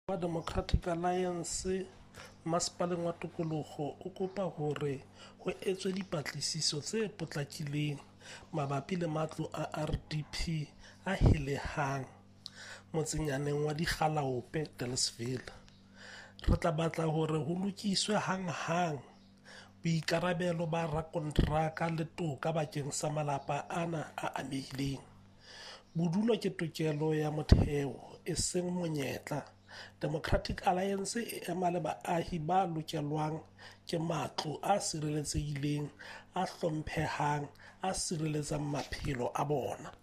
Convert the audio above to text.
Wa Democratic Alliance Masepaleng wa Tokoloho o kopa hore ho etswe dipatlisiso tse potlakileng mabapi le matlo a RDP a helehang motsenyaneng wa Dikgalaope Delisville. Re tla batla hore ho lokiswe hanghang, boikarabelo ba rakonteraka le toka bakeng sa malapa ana a amehileng. Bodulo ke tokelo ya motheo, eseng monyetla. Democratic Alliance e ema le baahi ba lokelwang ke matlo a sireletsehileng, a hlomphehang, a sireletsang maphelo a bona.